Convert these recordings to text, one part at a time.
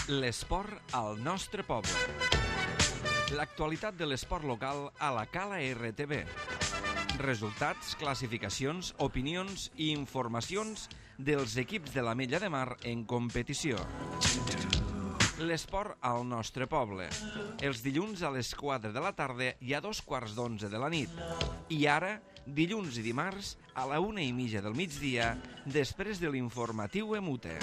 L'esport al nostre poble. L'actualitat de l'esport local a la Cala RTV. Resultats, classificacions, opinions i informacions dels equips de l'Ametlla de Mar en competició. L'esport al nostre poble. Els dilluns a les 4 de la tarda i a 2:15 de la nit. I ara, dilluns i dimarts, a la 1:30 del migdia, després de l'informatiu Emute.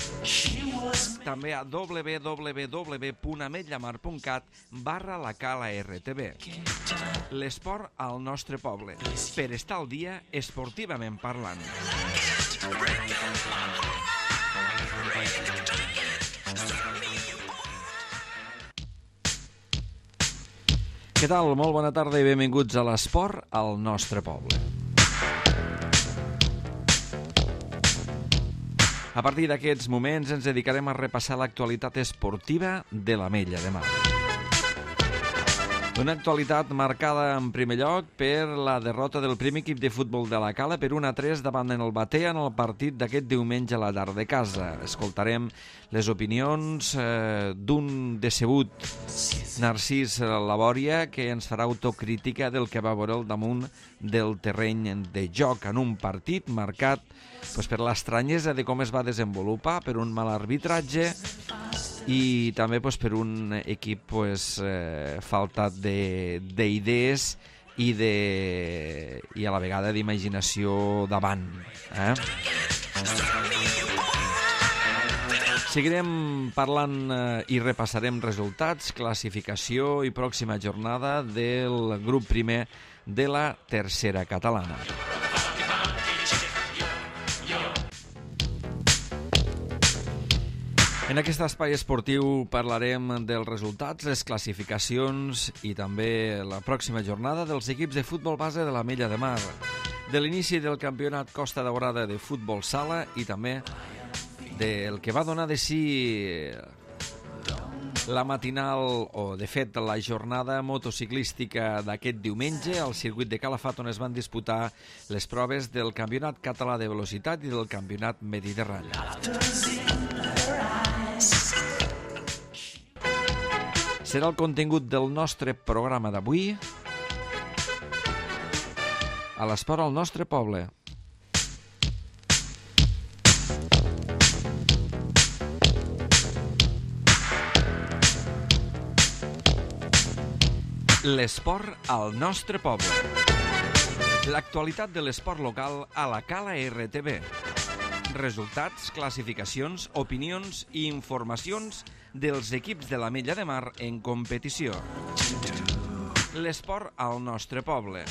També a www.ametllamar.cat/la Cala RTV. L'esport al nostre poble. Per estar al dia, esportivament parlant. Què tal? Molt bona tarda i benvinguts a l'esport al nostre poble. A partir d'aquests moments ens dedicarem a repassar l'actualitat esportiva de l'Ametlla de Mar. Una actualitat marcada en primer lloc per la derrota del primer equip de futbol de la Cala per 1-3 davant el Batea en el partit d'aquest diumenge a la tarda de casa. Escoltarem les opinions d'un decebut Narcís Labòria, que ens farà autocrítica del que va veure al damunt del terreny de joc en un partit marcat per l'estranyesa de com es va desenvolupar, per un mal arbitratge i també per un equip faltat d'idees i a la vegada d'imaginació davant. Seguirem parlant i repassarem resultats, classificació i pròxima jornada del grup primer de la tercera catalana. En aquest espai esportiu parlarem dels resultats, les classificacions i també la pròxima jornada dels equips de futbol base de l'Ametlla de Mar, de l'inici del campionat Costa Daurada de futbol sala i també del que va donar de si la matinal, o de fet la jornada motociclística d'aquest diumenge al circuit de Calafat, on es van disputar les proves del campionat català de velocitat i del campionat mediterrani. Serà el contingut del nostre programa d'avui a l'esport al nostre poble. L'esport al nostre poble. L'actualitat de l'esport local a la Cala RTV. Resultats, classificacions, opinions i informacions dels equips de l'Ametlla de Mar en competició. L'esport al nostre poble.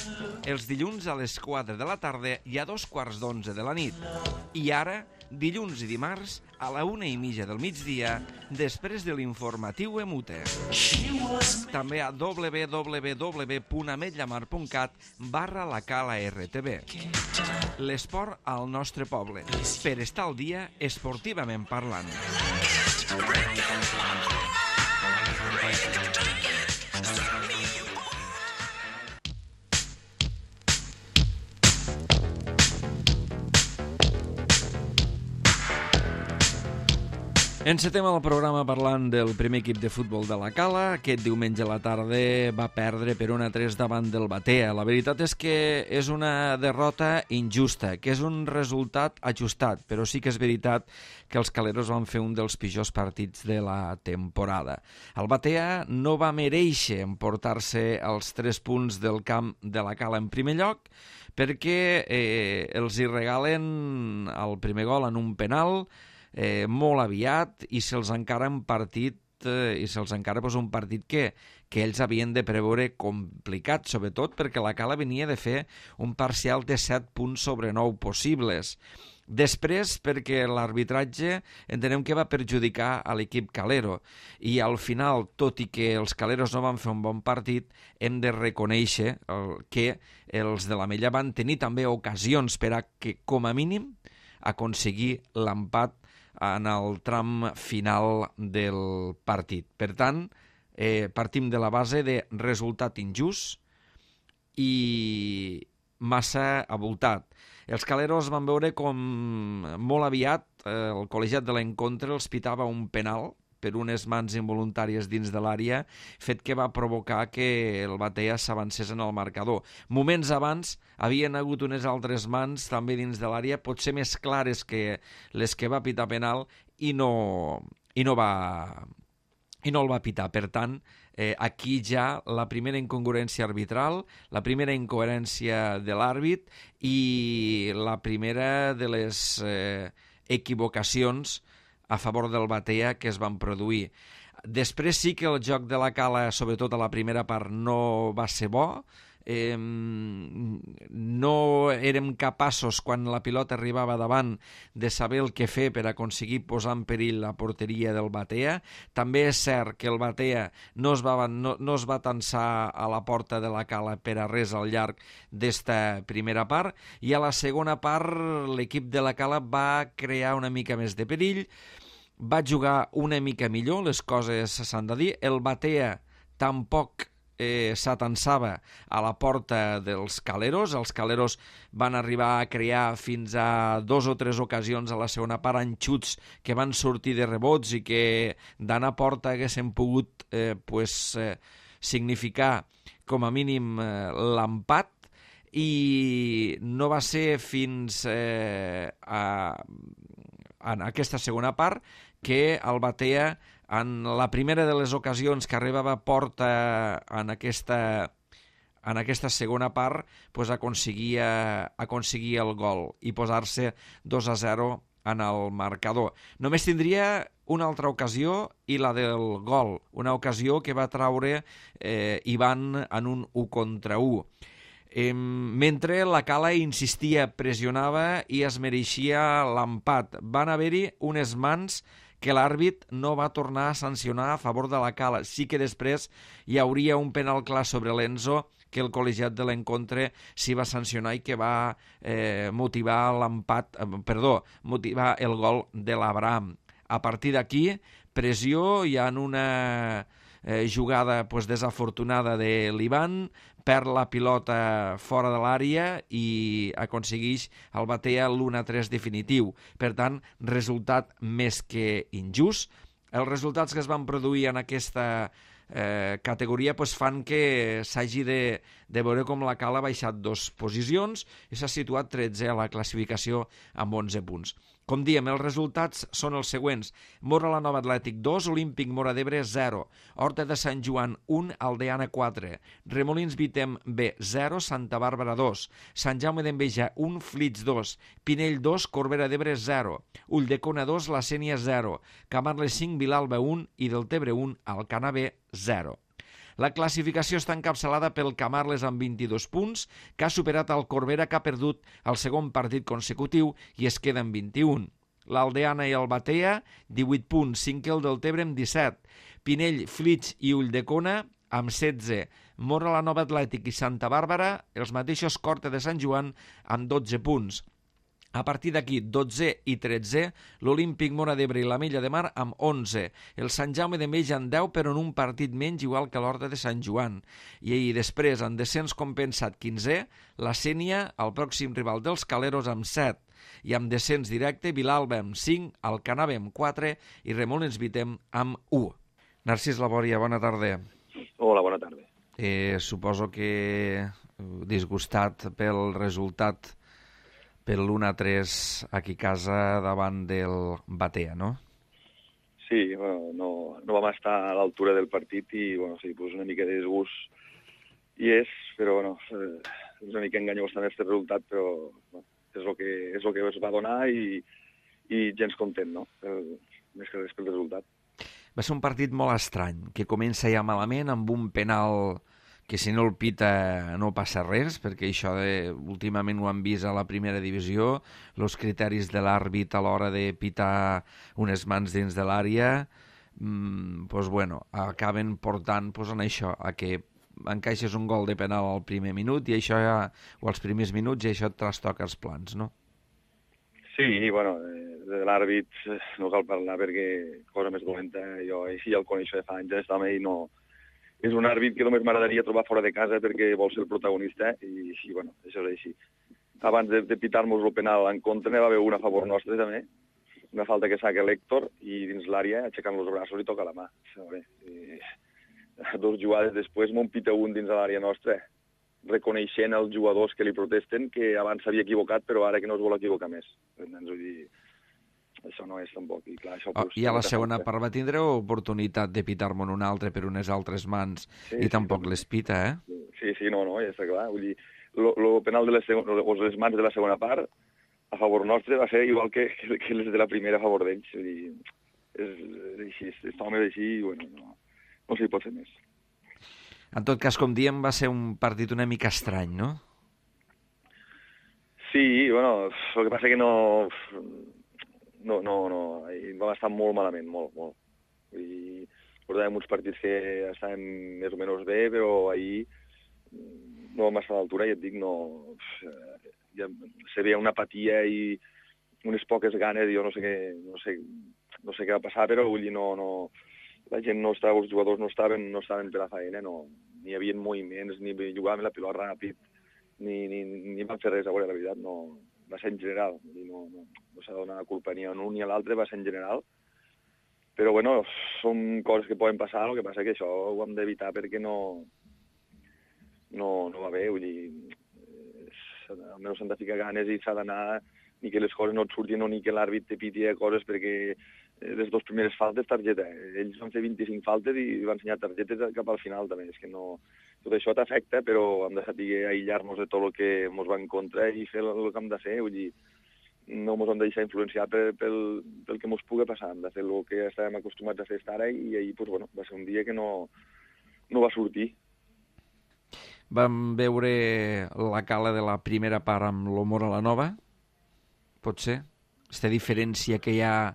Els dilluns a les 4 de la tarda i a 2:15 de la nit. I ara, dilluns i dimarts, a la 1:30 del migdia, després de l'informatiu Emute. També a www.ametllamar.cat/la Cala RTV. L'esport al nostre poble. Per estar al dia, esportivament parlant. Encetem el programa parlant del primer equip de futbol de la Cala. Aquest diumenge a la tarda va perdre per 1-3 davant del Batea. La veritat és que és una derrota injusta, que és un resultat ajustat, però sí que és veritat que els caleros van fer un dels pitjors partits de la temporada. El Batea no va merèixer emportar-se els 3 punts del camp de la Cala en primer lloc, perquè els hi regalen el primer gol en un penal molt aviat i se'ls encara un partit un partit que ells havien de preveure complicat, sobretot perquè la Cala venia de fer un parcial de 7 punts sobre 9 possibles. Després, perquè l'arbitratge entenem que va perjudicar a l'equip calero i al final, tot i que els caleros no van fer un bon partit, hem de reconèixer que els de l'Ametlla van tenir també ocasions per a que, com a mínim, aconseguir l'empat en el tram final del partit. Per tant, partim de la base de resultat injust i massa avoltat. Els caleros van veure com molt aviat el col·legiat de l'Encontre els pitava un penal per unes mans involuntàries dins de l'àrea, fet que va provocar que el Batea s'avancés en el marcador. Moments abans havien hagut unes altres mans també dins de l'àrea, potser més clares que les que va pitar penal, i no el va pitar. Per tant, aquí ja la primera incongruència arbitral, la primera incoherència de l'àrbit i la primera de les equivocacions a favor del Batea que es van produir. Després sí que el joc de la Cala, sobretot a la primera part, no va ser bo. No érem capaços, quan la pilota arribava davant, de saber el que fer per aconseguir posar en perill la porteria del Batea. També és cert que el Batea no es va tensar a la porta de la Cala per a res al llarg d'esta primera part, i a la segona part l'equip de la Cala va crear una mica més de perill, va jugar una mica millor, les coses s'han de dir. El Batea tampoc s'atensava a la porta dels Caleros. Els Caleros van arribar a crear fins a 2 o 3 ocasions a la segona part en xuts que van sortir de rebots i que d'anar a porta haguessin pogut significar com a mínim l'empat, i no va ser fins en aquesta segona part que el Batea, en la primera de les ocasions que arribava a porta en aquesta segona part, aconseguia el gol i posar-se 2-0 en el marcador. Només tindria una altra ocasió, i la del gol, una ocasió que va traure Ivan en un 1-1. Mentre la Cala insistia, pressionava i es mereixia l'empat. Van haver-hi unes mans que l'àrbit no va tornar a sancionar a favor de la Cala. Sí que després hi hauria un penal clar sobre l'Enzo que el col·legiat de l'encontre s'hi va sancionar i que va motivar el gol de l'Abraham. A partir d'aquí, pressió, hi ha una jugada desafortunada de l'Ivan, perd la pilota fora de l'àrea i aconsegueix el Batea l'1-3 definitiu. Per tant, resultat més que injust. Els resultats que es van produir en aquesta categoria fan que s'hagi de veure com la Cala ha baixat 2 posicions i s'ha situat 13 a la classificació amb 11 punts. Com diem, els resultats són els següents: Móra la Nova Atlètic 2, Olímpic Móra d'Ebre 0, Horta de Sant Joan 1, Aldeana 4, Remolins Vitem B 0, Santa Bàrbara 2, Sant Jaume d'Enveja 1, Flix 2, Pinell 2, Corbera d'Ebre 0, Ulldecona 2, La Sénia 0, Camarles 5, Vilalba 1 i Deltebre 1, Alcanar B 0. La classificació està encapçalada pel Camarles amb 22 punts, que ha superat el Corbera, que ha perdut el segon partit consecutiu i es queda amb 21. L'Aldeana i el Batea, 18 punts, 5 el Deltebre amb 17. Pinell, Flix i Ulldecona amb 16. Móra la Nova Atlètic i Santa Bàrbara, els mateixos Horta de Sant Joan amb 12 punts. A partir d'aquí, 12 i 13, l'Olímpic Móra d'Ebre i l'Ametlla de Mar amb 11. El Sant Jaume d'Enveja amb 10, però en un partit menys, igual que l'Horta de Sant Joan. I després, en descens compensat 15, la Sénia, el pròxim rival dels Caleros, amb 7. I amb descens directe, Vilalba amb 5, Alcanar amb 4 i Remolins Vitem amb 1. Narcís Labòria, bona tarda. Hola, bona tarda. Suposo que disgustat pel resultat, per l'1-3 aquí a casa davant del Batea, no? Sí, no vam estar a l'altura del partit i una mica de disgust hi és, però és una mica enganyós també aquest resultat, però és el que es va donar i gens content, no? Més que res pel resultat. Va ser un partit molt estrany, que comença ja malament amb un penal que si no el pita no passa res, perquè això últimament ho han vist a la primera divisió, els criteris de l'àrbit a l'hora de pitar unes mans dins de l'àrea, acaben portant en això, a que encaixes un gol de penal al primer minut i això o als primers minuts i això et trastoca els plans, no? Sí, de l'àrbit no cal parlar perquè cosa més dolenta, jo així el coneixo de fa anys, també i no... És un àrbit que només m'agradaria trobar fora de casa perquè vol ser el protagonista i això és així. Abans de pitar-nos el penal en contra, n'hi va haver una a favor nostre també una falta que saca l'Héctor i dins l'àrea, aixecant els braços i toca la mà. Dos jugades després m'ho pita un dins de l'àrea nostra, reconeixent els jugadors que li protesten que abans s'havia equivocat, però ara que no es vol equivocar més. Vull dir, això no és tampoc. I, clar, això, I a la segona part va tindre oportunitat de pitar-me'n un altre per unes altres mans i tampoc les pita, eh? Sí, no, ja està clar. Vull dir, el penal de les mans de la segona part a favor nostre va ser igual que les de la primera a favor d'ells. Vull dir, és així, aquest home és així i bueno, no s'hi pot fer més. En tot cas, com diem, va ser un partit una mica estrany, no? Sí, bueno, el que passa que no, vam estar molt malament, molt. Vull dir, portàvem uns partits que estaven més o menys bé, però ahir no vam estar a l'altura, i et dic, se veia una apatia i unes poques ganes, jo no sé què va passar, però vull dir, la gent no estava, els jugadors no estaven per la feina, ni hi havia moviments, ni jugaven la pilota ràpid, ni van fer res, a veure, la veritat, va ser en general, no s'ha de donar la culpa ni a un ni a l'altre, va ser en general, però bueno, són coses que poden passar, el que passa que això ho hem d'evitar perquè no va bé, vull dir, almenys s'han de ficar ganes i s'ha d'anar, ni que les coses no et surtin o ni que l'àrbit te piti coses, perquè les dues primeres faltes, targeta. Ells van fer 25 faltes i van ensenyar targetes cap al final també. És que tot això t'afecta, però hem de saber aïllar-nos de tot el que ens va en contra i fer el que hem de fer. Vull dir, no ens hem de deixar influenciar pel que ens pugui passar. Hem de fer el que estàvem acostumats a fer fins ara i ahir va ser un dia que no va sortir. Vam veure la Cala de la primera part amb l'Humor a la Nova, pot ser? Aquesta diferència que hi ha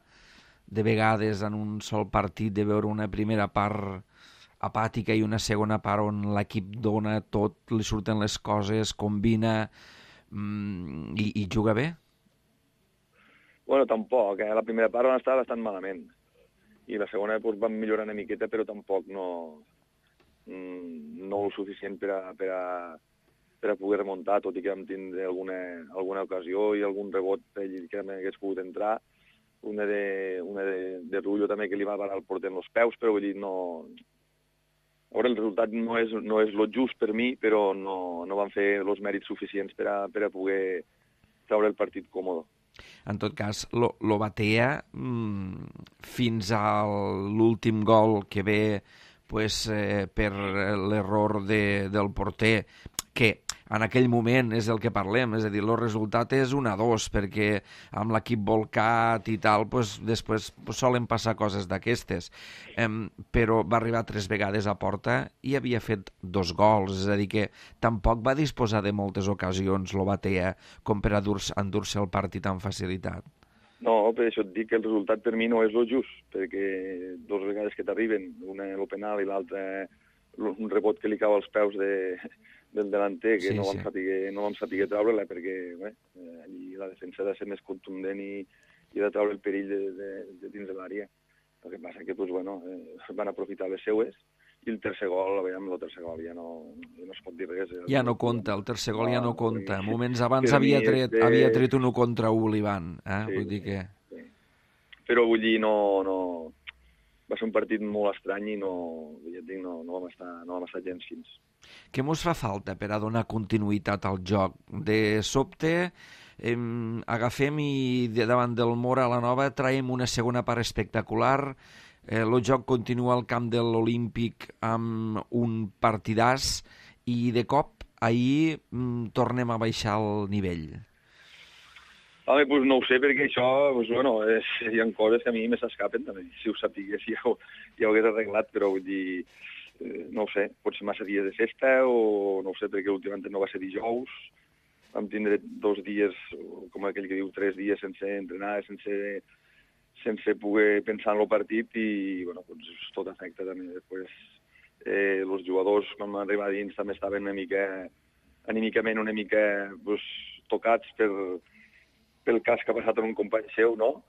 de vegades en un sol partit de veure una primera part apàtica i una segona part on l'equip dona tot, li surten les coses, combina i juga bé? Bueno, tampoc. La primera part van estar bastant malament i la segona van millorar una miqueta, però tampoc no el suficient per a poder remuntar, tot i que vam tindre alguna ocasió i algun rebot que hagués pogut entrar, una de Rullo també que li va parar el porter en els peus, però vull dir, a veure, el resultat no és lo just per mi, però no van fer els mèrits suficients per a poder treure el partit còmode. En tot cas, lo batea fins a l'últim gol que ve per l'error del porter, que en aquell moment és el que parlem, és a dir, el resultat és 1-2, perquè amb l'equip volcat i tal, després solen passar coses d'aquestes. Però va arribar 3 vegades a porta i havia fet 2 gols, és a dir, que tampoc va disposar de moltes ocasions lo Batea com per endur-se el partit amb facilitat. No, per això et dic que el resultat per mi no és el just, perquè 2 vegades que t'arriben, una el penal i l'altra un rebot que li cau als peus del delanter, que no vam saber treure-la, perquè allí la defensa ha de ser més contundent i ha de treure el perill de dins de l'àrea. El que passa que van aprofitar les seues i el tercer gol ja no es pot dir res. Ja no compta, el tercer gol ja no compta. Moments abans havia tret un 1 contra 1 l'Ivan. Vull dir que... Sí. Però vull dir, va ser un partit molt estrany i no vam estar gens fins. Què mos fa falta per a donar continuïtat al joc? De sobte agafem i davant del Mora a la Nova traiem una segona part espectacular. El joc continua al camp de l'Olímpic amb un partidàs i de cop ahir tornem a baixar el nivell. Home, doncs no ho sé, perquè això, hi ha coses que a mi me s'escapen també. Si ho sapigués ja ho hagués arreglat, però vull dir, no ho sé, pot ser massa dies de festa o no ho sé, perquè últimament no va ser dijous, vam tindre 2 dies, com aquell que diu 3 dies sense entrenar, sense poder pensar en el partit i tot afecta també. Després els jugadors quan van arribar dins també estaven anímicament una mica tocats pel cas que ha passat en un company seu, no?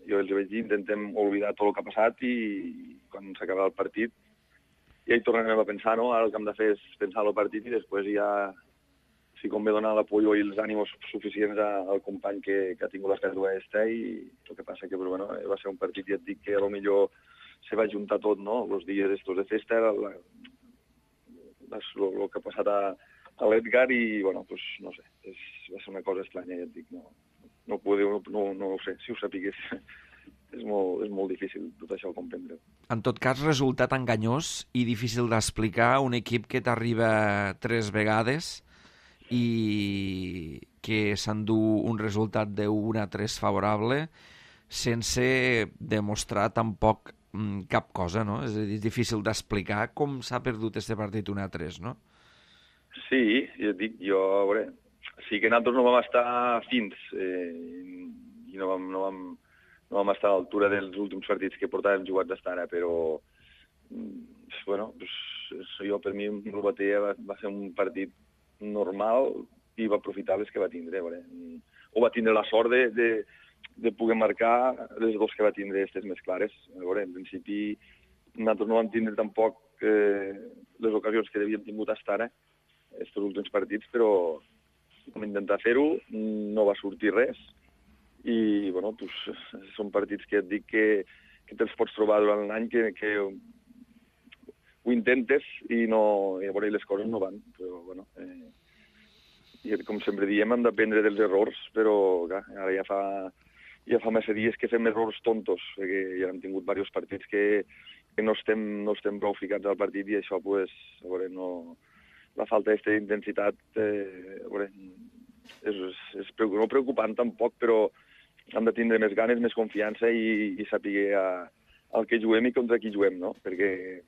Jo els vaig dir, intentem oblidar tot el que ha passat i quan s'acaba el partit ja hi tornarem a pensar, no? Ara el que hem de fer és pensar en el partit i després ja sí convé donar l'apoyo i els ànims suficients al company que ha tingut les pèrdues aquesta, i el que passa que va ser un partit, ja et dic, que a lo millor se va juntar tot, no? Els dies estos de festa, el que ha passat a l'Edgar i, bueno, pues, no sé, va ser una cosa estranya, ja et dic, no ho sé, si ho sapigués. És molt difícil tot això comprendre. En tot cas, resultat enganyós i difícil d'explicar un equip que t'arriba 3 vegades i que s'endú un resultat de 1-3 favorable sense demostrar tampoc cap cosa, no? És a dir, és difícil d'explicar com s'ha perdut este partit 1-3, no? Sí, jo et dic, a veure, sí que nosaltres no vam estar fins i no vam estar a l'altura dels últims partits que portàvem jugats d'estar ara, però bueno, jo per mi el Batea va ser un partit normal i va aprofitar les que va tindre. O va tindre la sort de poder marcar les dos que va tindre aquestes més clares. En principi nosaltres no vam tindre tampoc les ocasions que havíem tingut fins ara, aquests últims partits, però vam intentar fer-ho, no va sortir res. I, bueno, pues, són partits que et dic que te'ls pots trobar durant l'any, que ho intentes i les coses no van. Però, bueno, i com sempre diem, hem d'aprendre dels errors, però clar, ara ja fa massa dies que fem errors tontos, perquè ja hem tingut diversos partits que no estem prou ficats al partit i això, pues, la falta d'aquesta intensitat és no preocupant tampoc, però hem de tindre més ganes, més confiança i saber el que juguem i contra qui juguem, no? Perquè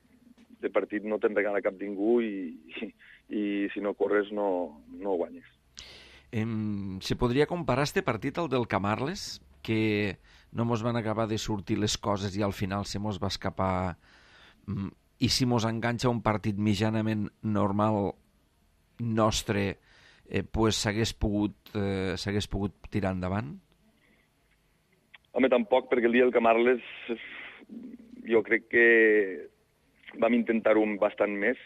de partit no te'n regala cap ningú i si no corres no guanyes. Se podria comparar este partit al del Camarles, que no mos van acabar de sortir les coses i al final se mos va escapar, i si mos enganxa un partit mitjanament normal nostre, pues s'hagués pogut tirar endavant? Home, tampoc, perquè el dia del Camarles jo crec que vam intentar-ho bastant més.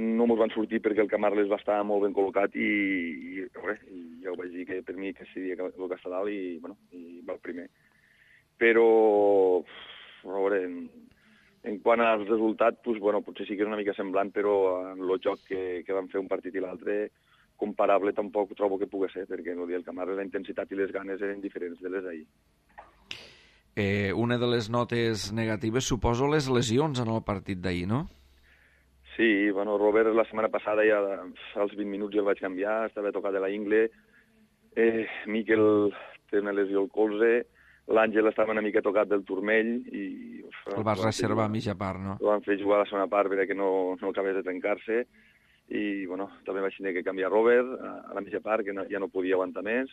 No ens van sortir perquè el Camarles va estar molt ben col·locat i ja ho vaig dir que per mi que seria el que està dalt i va el primer. Però, a veure, en quant als resultats, potser sí que és una mica semblant, però en el joc que vam fer un partit i l'altre, comparable tampoc trobo que pugui ser, perquè el dia del Camarles la intensitat i les ganes eren diferents de les d'ahir. Una de les notes negatives, suposo, les lesions en el partit d'ahir, no? Sí, Robert la setmana passada ja als 20 minuts ja el vaig canviar, estava tocat de la ingle, Miquel té una lesió al colze, l'Àngel estava una mica tocat del turmell i... El vas reservar a mitja part, no? El van fer jugar a la segona part perquè no acabés de trencar-se i, també vaig tenir que canviar Robert a la mitja part, que ja no podia aguantar més.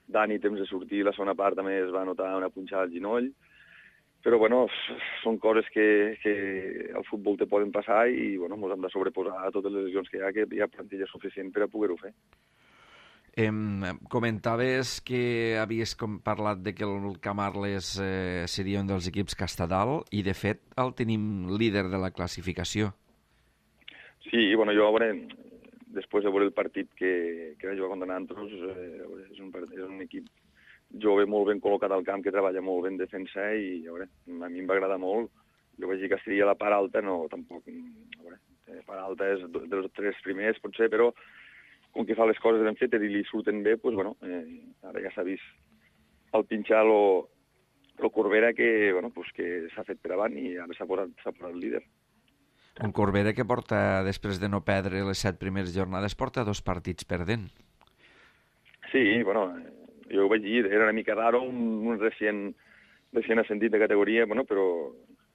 Dani, temps de sortir, la segona part també es va notar una punxada al ginoll. Però, són coses que al futbol te poden passar i, ens hem de sobreposar a totes les lesions que hi ha plantilla suficient per a poder-ho fer. Comentaves que havies parlat de que el Camarles seria un dels equips que està dalt i, de fet, el tenim líder de la classificació. Sí, jo, després de veure el partit que va jugar contra nosaltres, és un equip jove molt ben col·locat al camp, que treballa molt ben defensa i a mi em va agradar molt. Jo vaig dir que estaria a la part alta, no, tampoc. La part alta és dels 3 primers, potser, però com que fa les coses ben fetes i li surten bé, ara ja s'ha vist al pinxar lo Corbera que s'ha fet per avant i ara s'ha posat líder. Un Corbera que porta, després de no perdre les 7 primeres jornades, porta 2 partits perdent. Sí, jo ho vaig dir, era una mica raro, un recient ascendit de categoria, però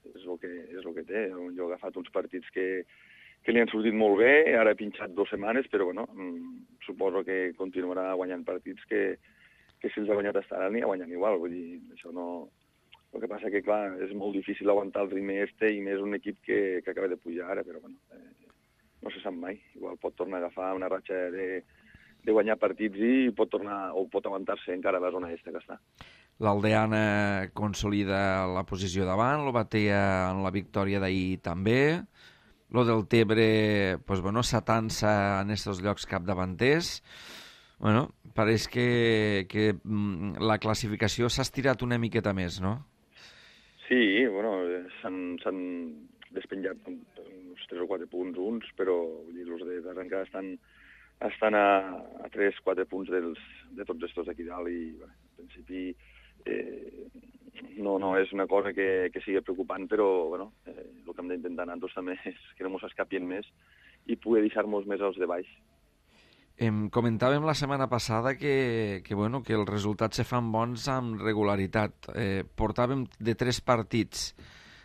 és el que té. Jo he agafat uns partits que li han sortit molt bé, ara he pinxat 2 setmanes, però suposo que continuarà guanyant partits que si els ha guanyat hasta ara n'hi ha guanyant igual. Vull dir, això no... El que passa que, clar, és molt difícil aguantar el ritme i més un equip que acaba de pujar ara, però no se sap mai. Igual pot tornar a agafar una ratxa de guanyar partits i pot aguantar-se encara a la zona que està. L'Aldeana consolida la posició davant, el Batea en la victòria d'ahir també, lo del Tebre pues, bueno, s'atansa en estos llocs capdavanters. Bueno, pareix que la classificació s'ha estirat una miqueta més, no? Sí, bueno, s'han despenjat uns 3 o 4 punts uns, però vull dir, els d'arrencada estan a 3-4 punts de tots estos d'aquí dalt i, bé, en principi, no és una cosa que sigui preocupant, però bueno, el que hem d'intentar nosaltres també és que no ens escapien més i poder deixar-nos més als de baix. Comentàvem la setmana passada que els resultats se fan bons amb regularitat. Portàvem de 3 partits,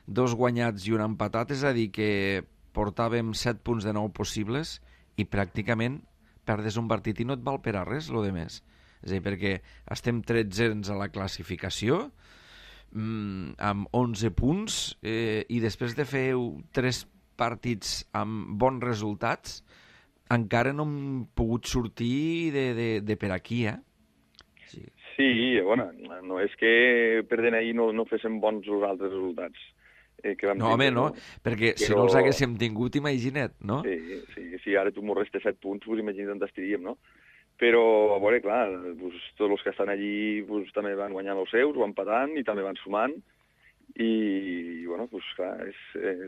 2 guanyats i un empatat, és a dir, que portàvem 7 punts de 9 possibles i pràcticament perdes un partit i no et val per a res, lo de més. És a dir, perquè estem 13 a la classificació, amb 11 punts, i després de fer 3 partits amb bons resultats, encara no hem pogut sortir de per aquí, Sí, bueno, no és que perdent ahir no féssim bons els altres resultats. Que vam no, home, tindre, no, perquè si no els haguéssim tingut, imagina't, no? Sí, ara tu m'ho restes 7 punts, pues imagina't on estaríem, no? Però, a veure, clar, pues, tots els que estan allí pues, també van guanyant els seus, van empatant i també van sumant, i bueno, pues, clar,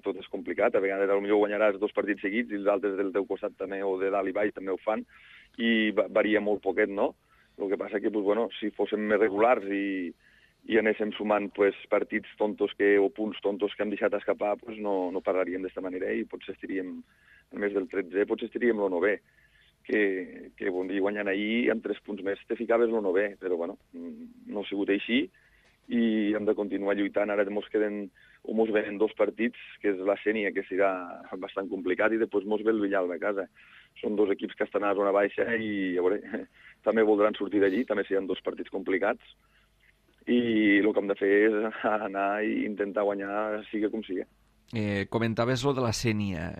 tot és complicat. A vegades potser guanyaràs 2 partits seguits i els altres del teu costat també, o de dalt i baix, també ho fan, i varia molt poquet, no? El que passa que, pues, bueno, si fóssim més regulars i anéssim sumant pues, partits tontos o punts tontos que hem deixat escapar, pues, no parlaríem d'esta manera i potser estaríem, a més del 13, potser estaríem el 9è, que bon dia guanyant ahir amb 3 punts més te ficaves el 9è, però bueno, no ha sigut així i hem de continuar lluitant. Ara mos venen 2 partits, que és la Sénia, que serà bastant complicat, i després mos ve el Villalba a casa. Són 2 equips que estan a la zona baixa i a veure, també voldran sortir d'allí, també seran 2 partits complicats, i el que hem de fer és anar i intentar guanyar, sigui com sigui. Comentaves lo de la Sénia.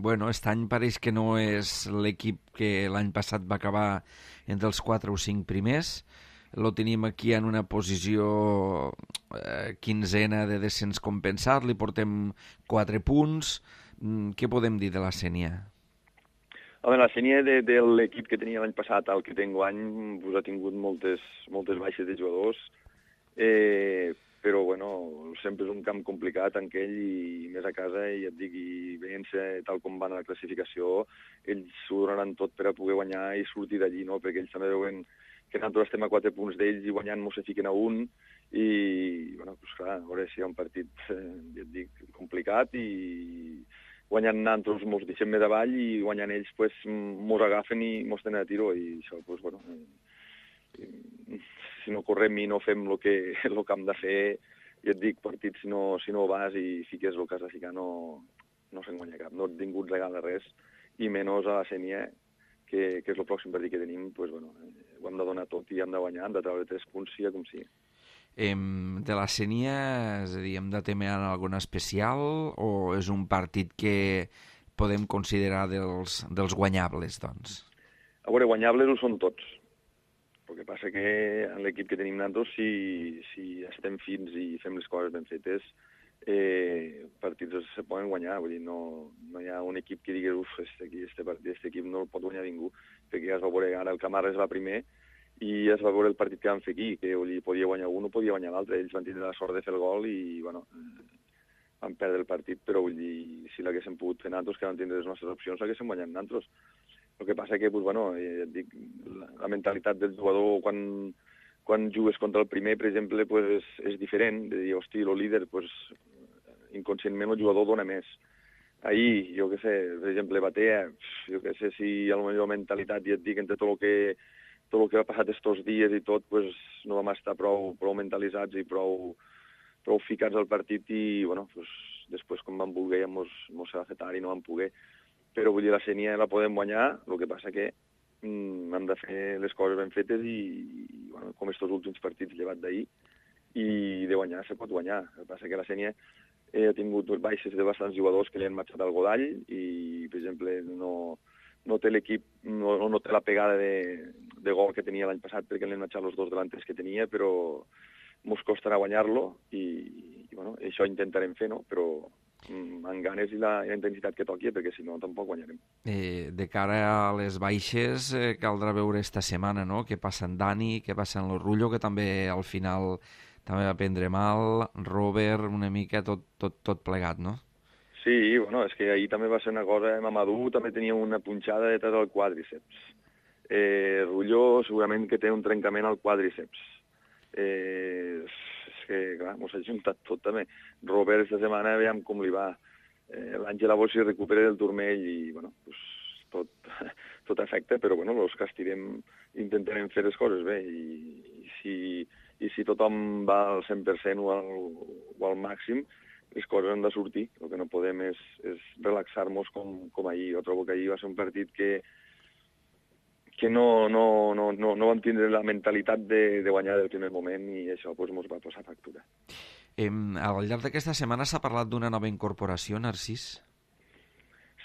Bueno, aquest any pareix que no és l'equip que l'any passat va acabar entre els 4 o 5 primers. Lo tenim aquí en una posició 15ena de descens compensat, li portem 4 punts. Què podem dir de la Sénia? Home, la Sénia de l'equip que tenia l'any passat al que té enguany pues, ha tingut moltes baixes de jugadors, però bueno, sempre és un camp complicat en aquell i més a casa, i et dic, i veient-se tal com van a la classificació, ells s'ho donaran tot per a poder guanyar i sortir d'allí, no? Perquè ells també veuen que nosaltres estem a 4 punts d'ells i guanyant mos se fiquen a 1, i bueno, pues clar, a veure si hi ha un partit, ja et dic, complicat, i guanyant nosaltres mos deixem més avall i guanyant ells pues, mos agafen i mos tenen a tiro, i això, pues, bueno, si no correm i no fem el que hem de fer, ja et dic, partit, si no vas i fiques el que has de ficar, no se'n guanya cap. No ningú et regala res, i menys a la Sénia, que és el pròxim partit que tenim, pues, bueno, ho hem de donar tot i hem de guanyar, hem de treure 3 punts, sigui com sigui. De la Sénia, és a dir, hem de temer alguna especial o és un partit que podem considerar dels guanyables, doncs? A veure, guanyables ho són tots. El que passa que en l'equip que tenim nosaltres, si estem fins i fem les coses ben fetes, partits se poden guanyar. Vull dir, no hi ha un equip que digui aquest equip no el pot guanyar ningú, perquè ja es va veure, ara el Camarra es va primer i es va veure el partit que van fer aquí, que podia guanyar un o podia guanyar l'altre. Ells van tindre la sort de fer el gol i, bueno, van perdre el partit, però vull dir, si l'haguéssim pogut fer nosaltres, que vam tindre les nostres opcions, l'haguéssim guanyat nosaltres. El que passa que, pues, bueno, dic, la mentalitat del jugador quan jugues contra el primer, per exemple, pues, és diferent. De dir, hosti, el líder, pues, inconscientment el jugador dona més. Ahir, jo què sé, per exemple, Batea, jo què sé, si a la meva mentalitat, ja et dic, entre tot el que ha passat estos dies i tot, pues, no vam estar prou mentalitzats i prou ficats al partit i, bueno, pues, després, com vam voler, mos va fer tard i no vam poder. Però, vull dir, la Sénia la podem guanyar, el que passa que hem de fer les coses ben fetes i bueno, com estos últims partits llevat d'ahir, i de guanyar se pot guanyar. El que passa que la Sénia ha tingut baixes de bastants jugadors que li han marxat al Godall i, per exemple, no té l'equip, no té la pegada de gol que tenia l'any passat perquè li han marxat els 2 delanters que tenia, però mos costarà guanyar-lo i bueno, això intentarem fer, no? Però amb ganes i la intensitat que toqui, perquè si no tampoc guanyarem. De cara a les baixes, caldrà veure esta setmana, no?, què passa en Dani, què passa en l'Orrullo, que també al final també va prendre mal, Robert, una mica tot plegat, no? Sí, bueno, és que ahir també va ser una cosa, Mamadou també tenia una punxada de tot el quàdriceps. Rulló segurament que té un trencament al quàdriceps. És que, clar, mos ha juntat tot també. Robert, esta setmana, veiem com li va. L'Àngel a si recupera del turmell i, bueno, pues, tot afecta, però, bueno, els que estirem intentarem fer les coses bé. I si tothom va al 100% o al màxim, les coses han de sortir. El que no podem és relaxar-nos com ahir. Jo trobo que ahir va ser un partit que no vam tindre la mentalitat de guanyar del primer moment i això ens va posar factura. Al llarg d'aquesta setmana s'ha parlat d'una nova incorporació, Narcís?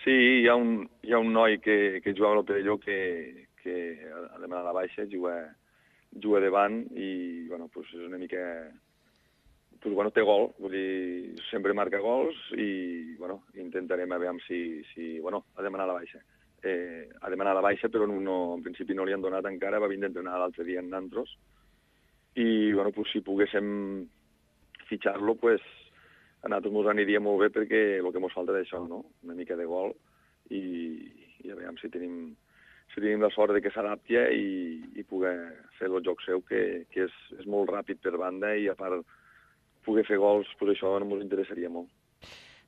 Sí, hi ha un noi que jugava a l'Opelló que ha demanat la baixa, juga davant i bueno, pues és una mica... Pues, bueno, té gol, vull dir, sempre marca gols i bueno, intentarem a veure si bueno, ha demanat la baixa. Ha demanat la baixa, però en principi no li han donat encara, va vindre a entrenar l'altre dia en Nantros, i bueno, pues, si poguéssim fitxar-lo, pues, a nosaltres ens aniria molt bé perquè el que ens falta d'això, no? Una mica de gol, i a veure si tenim la sort de que s'adapti i poder fer el joc seu, que és molt ràpid per banda, i a part poder fer gols, pues això ens interessaria molt.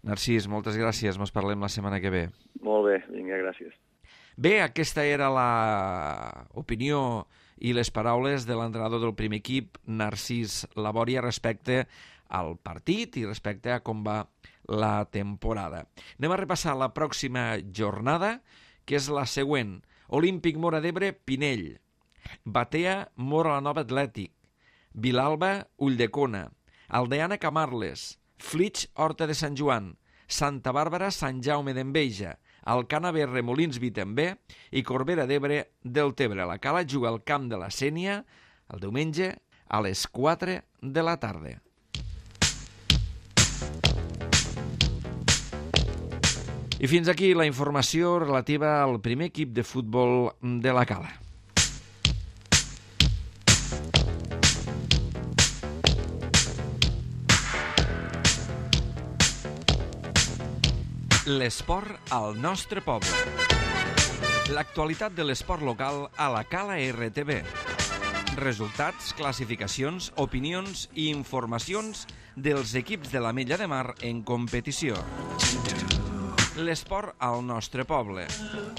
Narcís, moltes gràcies, mos parlem la setmana que ve. Molt bé, vinga, gràcies. Bé, aquesta era l'opinió i les paraules de l'entrenador del primer equip, Narcís Labòria, respecte al partit i respecte a com va la temporada. Anem a repassar la pròxima jornada, que és la següent. Olímpic Móra d'Ebre, Pinell. Batea, Móra la Nova Atlètic. Vilalba, Ulldecona. Aldeana, Camarles. Flix, Horta de Sant Joan. Santa Bàrbara, Sant Jaume d'Enveja. Alcana B, Remolins, Vitembé, i Corbera d'Ebre, Deltebre. La Cala juga al camp de la Sénia el diumenge a les 4 de la tarda. I fins aquí la informació relativa al primer equip de futbol de la Cala. L'esport al nostre poble. L'actualitat de l'esport local a la Cala RTV. Resultats, classificacions, opinions i informacions dels equips de l'Ametlla de Mar en competició. L'esport al nostre poble.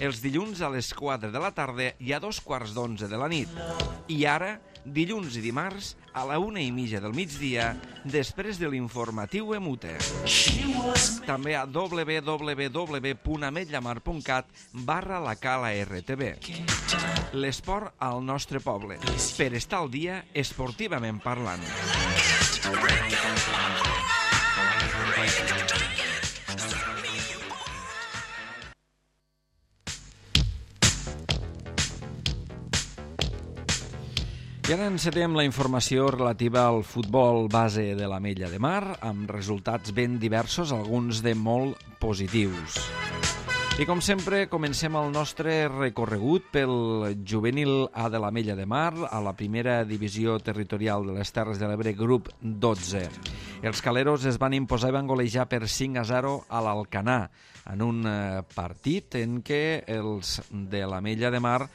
Els dilluns a les 4 de la tarda i a 2:15 de la nit. I ara, dilluns i dimarts, a la 1:30 del migdia, després de l'informatiu Emute. També a www.ametllamar.cat/la Cala RTV. L'esport al nostre poble. Per estar al dia esportivament parlant. I ara encetem la informació relativa al futbol base de l'Ametlla de Mar, amb resultats ben diversos, alguns de molt positius. I com sempre, comencem el nostre recorregut pel juvenil A de l'Ametlla de Mar, a la primera divisió territorial de les Terres de l'Ebre, grup 12. Els caleros es van imposar i van golejar per 5-0 a l'Alcanar, en un partit en què els de l'Ametlla de Mar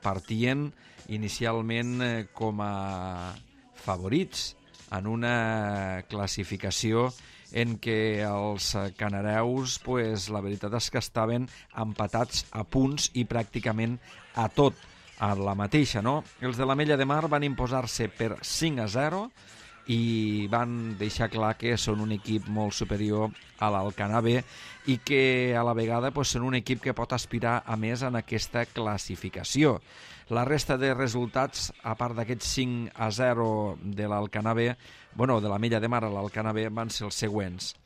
partien inicialment com a favorits en una classificació en què els canareus, la veritat és que estaven empatats a punts i pràcticament a tot, a la mateixa, no? Els de l'Ametlla de Mar van imposar-se per 5-0 i van deixar clar que són un equip molt superior a l'Alcanar B i que a la vegada són un equip que pot aspirar a més en aquesta classificació. La resta de resultats, a part d'aquests 5-0 de l'Alcanar B, de l'Ametlla de Mar a l'Alcanar B, van ser els següents.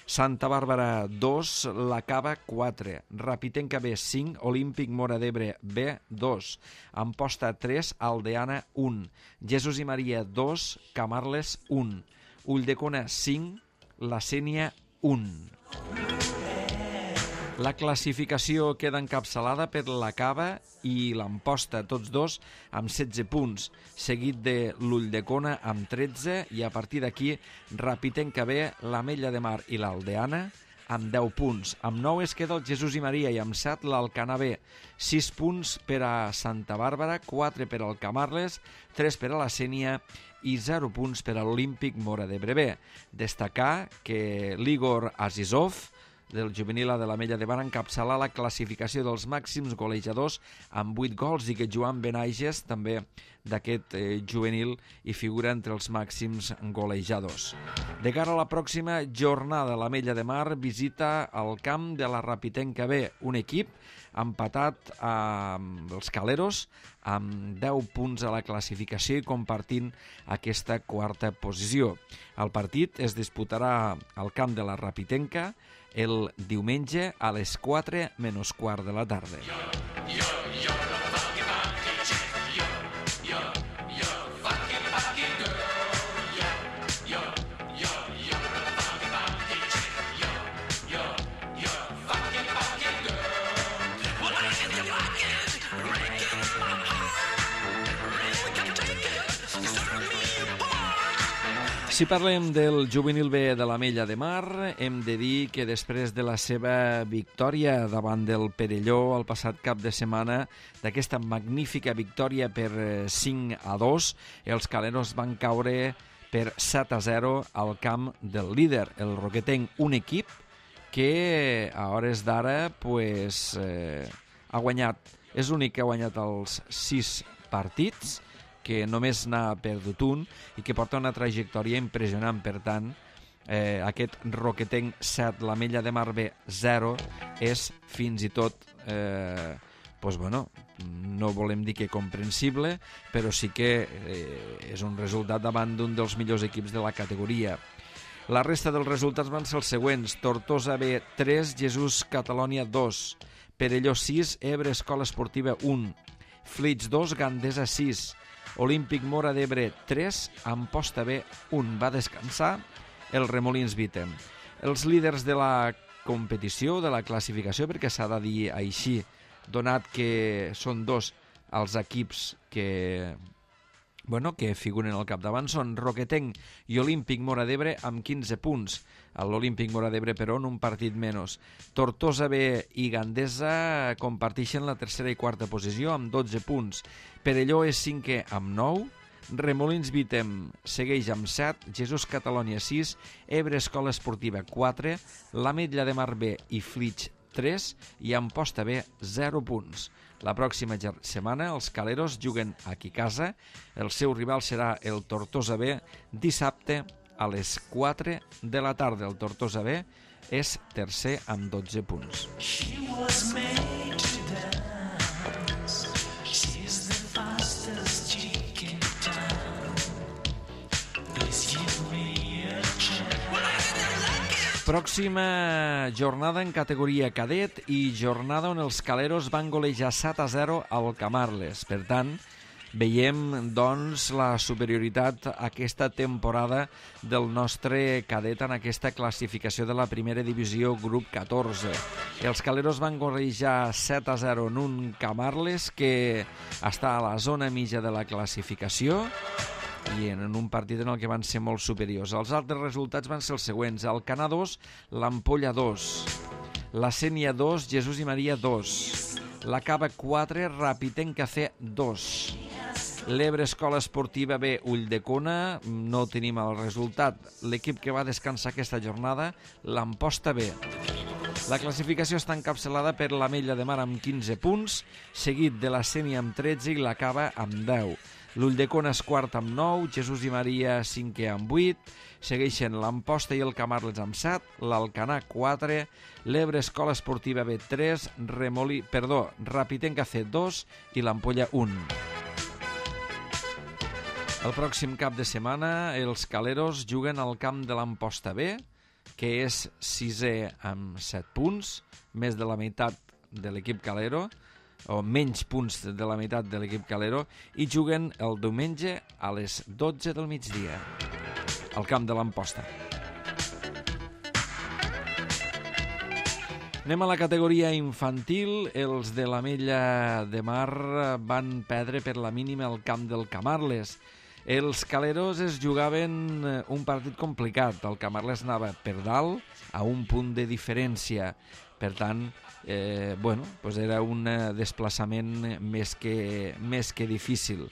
Santa Bàrbara 2, La Cava 4, Rapitenca B 5, Olímpic Móra d'Ebre B 2, Amposta 3, Aldeana 1, Jesús i Maria 2, Camarles 1, Ulldecona 5, la Sénia 1. La classificació queda encapçalada per la Cava i l'Amposta, tots dos amb 16 punts, seguit de l'Ulldecona amb 13 i a partir d'aquí Rapitenca B, l'Ametlla de Mar i l'Aldeana amb 10 punts. Amb 9 es queda el Jesús i Maria i amb 7 l'Alcanar B. 6 punts per a Santa Bàrbara, 4 per al Camarles, 3 per a la Sénia i 0 punts per a l'Olímpic Móra d'Ebre B. Destacar que l'Igor Azizov, del juvenil de l'Ametlla de Mar, encapçala la classificació dels màxims golejadors amb 8 gols i que Joan Benaiges, també d'aquest juvenil, hi figura entre els màxims golejadors. De cara a la pròxima jornada, l'Ametlla de Mar visita el camp de la Rapitenca B, un equip empatat amb els Caleros amb 10 punts a la classificació i compartint aquesta quarta posició. El partit es disputarà al camp de la Rapitenca el diumenge a les 4 menys quart de la tarda. Si parlem del juvenil B de l'Ametlla de Mar, hem de dir que després de la seva victòria davant del Perelló el passat cap de setmana, d'aquesta magnífica victòria per 5-2, els caleros van caure per 7-0 al camp del líder, el Roquetenc, un equip que a hores d'ara ha guanyat, és l'únic que ha guanyat els 6 partits, que només n'ha perdut un i que porta una trajectòria impressionant. Per tant, aquest Roquetenc 7, l'Ametlla de Mar B 0, és fins i tot, no volem dir que comprensible, però sí que és un resultat davant d'un dels millors equips de la categoria. La resta dels resultats van ser els següents: Tortosa B 3, Jesús Catalònia 2, Perelló 6, Ebre Escola Esportiva 1, Flix 2, Gandesa 6, Olímpic Móra d'Ebre 3, Amposta B 1. Va descansar el Remolins Vítem. Els líders de la competició, de la classificació, perquè s'ha de dir així, donat que són dos els equips que figuren al capdavant, són Roquetenc i Olímpic Móra d'Ebre amb 15 punts. L'Olímpic Móra d'Ebre, però, en un partit menys. Tortosa B i Gandesa comparteixen la tercera i quarta posició amb 12 punts. Perelló és cinquè amb 9, Remolins Vítem segueix amb 7, Jesús Catalònia 6, Ebre Escola Esportiva 4, l'Ametlla de Mar B i Flix 3 i Amposta B 0 punts. La pròxima setmana els caleros juguen aquí a casa. El seu rival serà el Tortosa B dissabte a les 4 de la tarda. El Tortosa B és tercer amb 12 punts. Pròxima jornada en categoria cadet i jornada on els caleros van golejar 7-0 al Camarles. Per tant, veiem doncs la superioritat aquesta temporada del nostre cadet en aquesta classificació de la primera divisió grup 14. Els caleros van golejar 7-0 en un Camarles que està a la zona mitja de la classificació i en un partit en el que van ser molt superiors. Els altres resultats van ser els següents: Alcanar 2, l'Ampolla 2, la Sénia 2, Jesús i Maria 2, la Cava 4, Rapitenca C 2, l'Ebre Escola Esportiva B, Ulldecona, no tenim el resultat. L'equip que va descansar aquesta jornada, l'Amposta B. La classificació està encapçalada per l'Ametlla de Mar amb 15 punts, seguit de la Sénia amb 13 i la Cava amb 10. L'Ulldecona és quart amb 9, Jesús i Maria 5è amb 8, segueixen l'Amposta i el Camarles amb 7, l'Alcanar 4, l'Ebre Escola Esportiva B 3, Rapitenca C 2 i l'Ampolla 1. El pròxim cap de setmana els caleros juguen al camp de l'Amposta B, que és 6è amb 7 punts, més de la meitat de l'equip calero, o menys punts de la meitat de l'equip calero, i juguen el diumenge a les 12 del migdia al camp de l'Amposta. Anem a la categoria infantil. Els de l'Ametlla de Mar van perdre per la mínima al camp del Camarles. Els caleros es jugaven un partit complicat. El Camarles anava per dalt a un punt de diferència. Per tant, era un desplaçament més que difícil.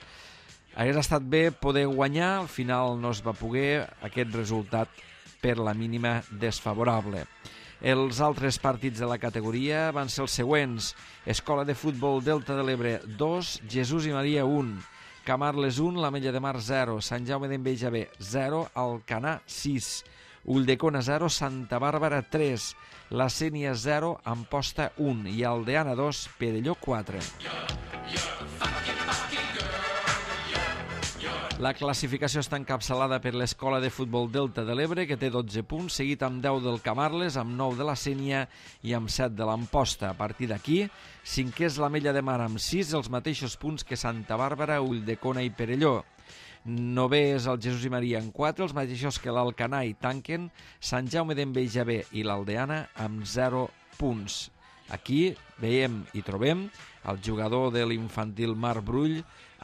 Hauria estat bé poder guanyar, al final no es va poder, aquest resultat per la mínima desfavorable. Els altres partits de la categoria van ser els següents: Escola de Futbol Delta de l'Ebre 2, Jesús i Maria 1, Camarles 1, l'Ametlla de Mar 0, Sant Jaume d'Enveja B 0, Alcanar 6, Ulldecona 0, Santa Bàrbara 3, la Sénia 0, Amposta 1 i Aldeana 2, Perelló 4. La classificació està encapçalada per l'Escola de Futbol Delta de l'Ebre, que té 12 punts, seguit amb 10 del Camarles, amb 9 de la Sénia i amb 7 de l'Amposta. A partir d'aquí, cinquè és l'Ametlla de Mar amb 6, els mateixos punts que Santa Bàrbara, Ulldecona i Perelló. Novè és el Jesús i Maria amb 4, els mateixos que l'Alcanar, i tanquen Sant Jaume d'Enveja B i l'Aldeana amb 0 punts. Aquí veiem i trobem el jugador de l'infantil Marc Brull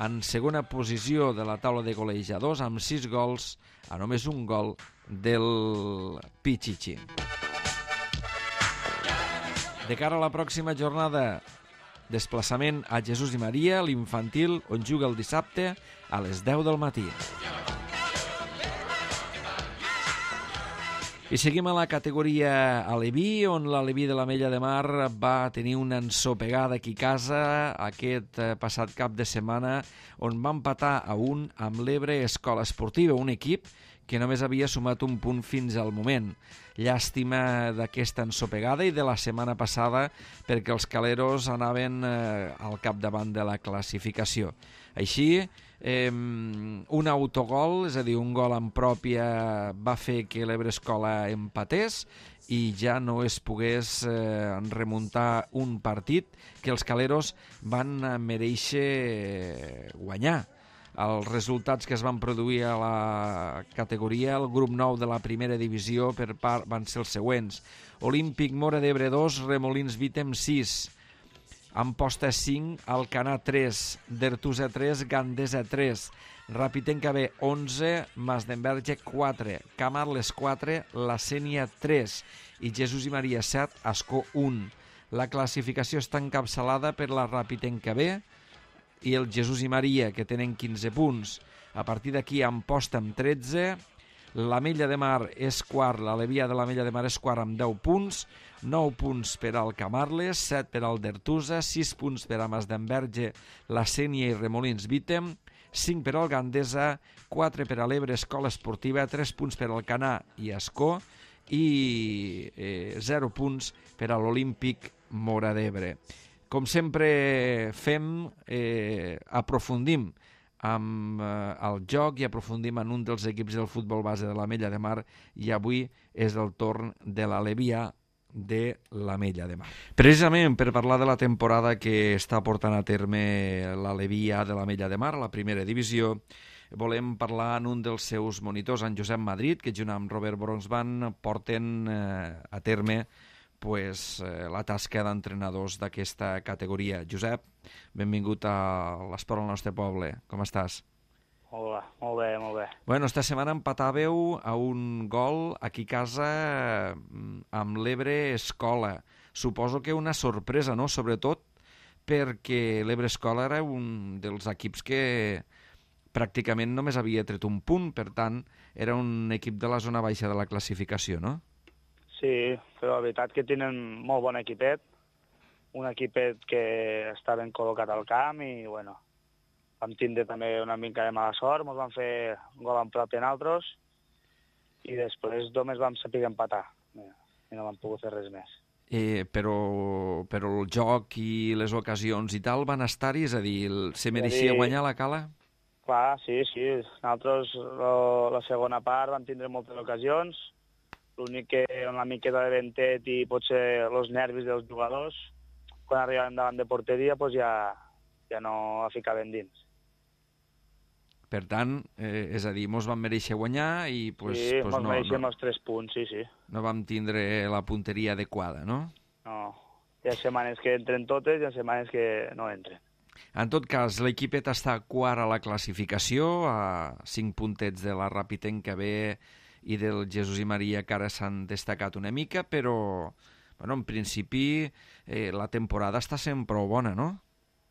en segona posició de la taula de golejadors amb 6 gols a només un gol del Pichichi. De cara a la pròxima jornada, desplaçament a Jesús i Maria, l'infantil, on juga el dissabte a les 10 del matí. I seguim a la categoria aleví, on l'aleví de l'Ametlla de Mar va tenir una ensopegada aquí a casa aquest passat cap de setmana, on va empatar a 1 amb l'Ebre Escola Esportiva, un equip que només havia sumat un punt fins al moment. Llàstima d'aquesta ensopegada i de la setmana passada, perquè els caleros anaven al capdavant de la classificació. Així, un autogol, és a dir, un gol en pròpia, va fer que l'Ebre Escola empatés i ja no es pogués remuntar un partit que els caleros van mereixer guanyar. Els resultats que es van produir a la categoria, el grup 9 de la primera divisió van ser els següents: Olímpic Móra d'Ebre 2, Remolins Vítem 6, Amposta 5, Alcanar 3, Dertusa 3, Gandesa 3, Rapitenca B 11, Masdenverge 4, Camarles 4, la Sénia 3 i Jesús i Maria 7, Ascó 1. La classificació està encapçalada per la Rapitenca B i el Jesús i Maria, que tenen 15 punts. A partir d'aquí, Amposta amb 13, l'Ametlla de Mar és quart, l'Alevià de l'Ametlla de Mar és quart amb 10 punts, 9 punts per al Camarles, 7 per al Dertusa, 6 punts per a Masdenverge, la Sénia i Remolins Vítem, 5 per al Gandesa, 4 per a l'Ebre Escola Esportiva, 3 punts per al Alcanar i Ascó i 0 punts per a l'Olímpic Móra d'Ebre. Com sempre fem, aprofundim amb el joc i aprofundim en un dels equips del futbol base de l'Ametlla de Mar, i avui és el torn de l'Alevià de l'Ametlla de Mar. Precisament per parlar de la temporada que està portant a terme l'Alevià de l'Ametlla de Mar, la primera divisió, volem parlar en un dels seus monitors, en Josep Madrid, que junt amb Robert Bronsban porten a terme la tasca d'entrenadors d'aquesta categoria. Josep, benvingut a l'Esport al nostre poble. Com estàs? Molt bé, molt bé. Bueno, esta setmana empatàveu a un gol aquí a casa amb l'Ebre Escola. Suposo que una sorpresa, no? Sobretot perquè l'Ebre Escola era un dels equips que pràcticament només havia tret un punt, per tant, era un equip de la zona baixa de la classificació, no? Sí, però la veritat que tenen molt bon equipet, un equipet que està ben col·locat al camp i, bueno, vam tindre també una mica de mala sort, ens van fer un gol en propi en altres i després només vam saber empatar i no vam pogut fer res més. Però el joc i les ocasions i tal van estar-hi, és a dir, se mereixia guanyar la Cala? Clar, sí, nosaltres la segona part vam tindre moltes ocasions, l'únic que una miqueta de ventet i potser els nervis dels jugadors, quan arribàvem davant de porteria ja no la ficaven dins. Per tant, és a dir, mos vam mereixer guanyar i... Sí, mos mereixem els 3 punts, sí. No vam tindre la punteria adequada, no? No. Hi ha setmanes que entren totes i hi ha setmanes que no entren. En tot cas, l'equipet està quart a la classificació, a 5 puntets de la Rapitenca B i del Jesús i Maria, que ara s'han destacat una mica, però bueno, en principi la temporada està sent prou bona, no?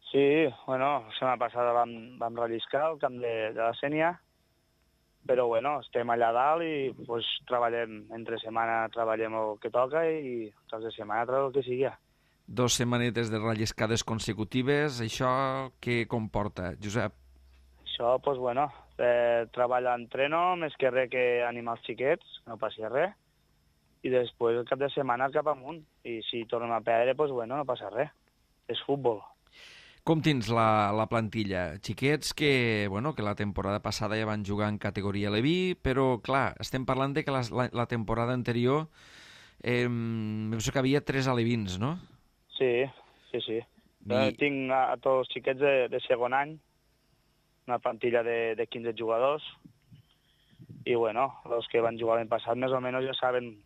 Sí, bueno, la setmana passada vam relliscar al camp de la Sénia, però bueno, estem allà dalt i pues, treballem, entre setmana treballem el que toca i caps de setmana treballem el que sigui. 2 setmanetes de relliscades consecutives, això què comporta, Josep? Això, pues bueno, treball entreno, més que res que animar els xiquets, no passi res, i després el cap de setmana cap amunt, i si tornem a perdre, pues bueno, no passa res, és futbol. Com tens la plantilla? Xiquets que, bueno, que la temporada passada ja van jugar en categoria Leví, però, clar, estem parlant de que la temporada anterior penso que havia 3 alevins, no? Sí. Tinc a tots els xiquets de segon any, una plantilla de 15 jugadors, i, bueno, els que van jugar l'any passat més o menys ja saben